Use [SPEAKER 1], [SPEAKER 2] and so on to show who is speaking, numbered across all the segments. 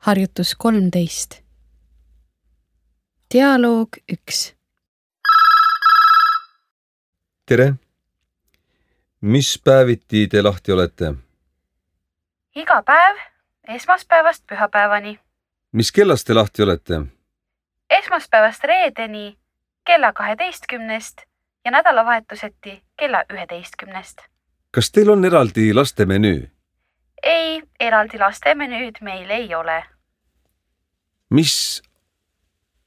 [SPEAKER 1] Harjutus 13. Dialoog 1.
[SPEAKER 2] Tere! Mis päeviti te lahti olete?
[SPEAKER 3] Iga päev, esmaspäevast pühapäevani.
[SPEAKER 2] Mis kellast te lahti olete?
[SPEAKER 3] Esmaspäevast reedeni kella 12 ja nädalavahetuseti kella 11.
[SPEAKER 2] Kas teil on eraldi laste menüü?
[SPEAKER 3] Ei, eraldi laste menüüd meil ei ole.
[SPEAKER 2] Mis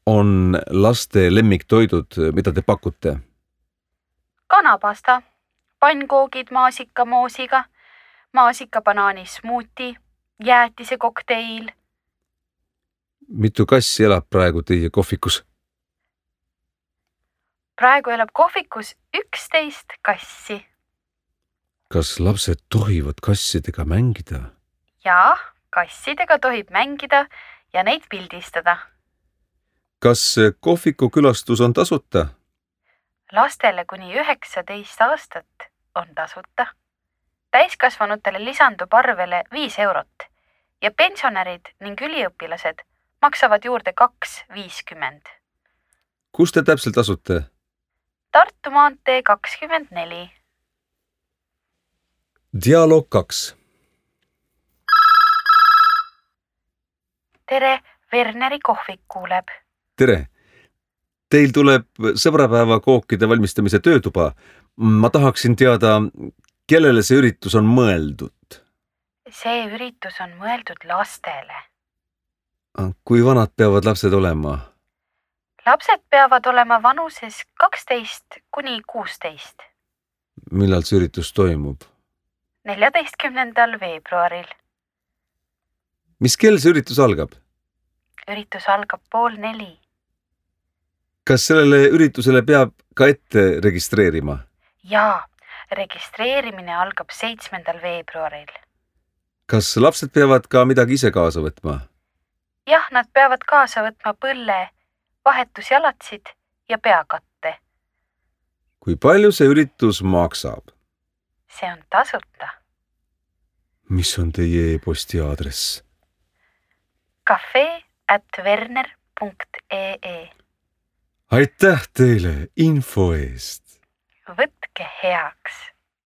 [SPEAKER 2] on laste lemmiktoidud, mida te pakute?
[SPEAKER 3] Kanapasta, pannkoogid maasikamoosiga, maasikabanaani smuuti, jäätise kokteil.
[SPEAKER 2] Mitu kassi elab praegu teie kohvikus?
[SPEAKER 3] Praegu elab kohvikus 11 kassi.
[SPEAKER 2] Kas lapsed tohivad kassidega mängida?
[SPEAKER 3] Jaa, kassidega tohib mängida ja neid pildistada.
[SPEAKER 2] Kas kohviku külastus on tasuta?
[SPEAKER 3] Lastele kuni 19 aastat on tasuta. Täiskasvanutele lisandub arvele 5 eurot ja pensionärid ning üliõpilased maksavad juurde 2,50.
[SPEAKER 2] Kus te täpselt asute?
[SPEAKER 3] Tartu maantee 24.
[SPEAKER 2] Dialoog 2.
[SPEAKER 3] Tere, Werneri kohvik kuuleb.
[SPEAKER 2] Tere! Teil tuleb sõbrapäeva kookide valmistamise töötuba. Ma tahaksin teada, kellele see üritus on mõeldud?
[SPEAKER 3] See üritus on mõeldud lastele.
[SPEAKER 2] Kui vanad peavad lapsed olema?
[SPEAKER 3] Lapsed peavad olema vanuses 12 kuni 16.
[SPEAKER 2] Millal see üritus toimub?
[SPEAKER 3] 14. veebruaril.
[SPEAKER 2] Mis kell see üritus algab?
[SPEAKER 3] Üritus algab 3:30.
[SPEAKER 2] Kas sellele üritusele peab ka ette registreerima?
[SPEAKER 3] Jaa, registreerimine algab 7. veebruaril.
[SPEAKER 2] Kas lapsed peavad ka midagi ise kaasa võtma?
[SPEAKER 3] Jah, nad peavad kaasa võtma põlle, vahetusjalatsid ja peakatte.
[SPEAKER 2] Kui palju see üritus maksab?
[SPEAKER 3] See on tasuta.
[SPEAKER 2] Mis on teie e-posti aadress?
[SPEAKER 3] cafe@werner.ee.
[SPEAKER 2] Aitäh teile info eest!
[SPEAKER 3] Võtke heaks!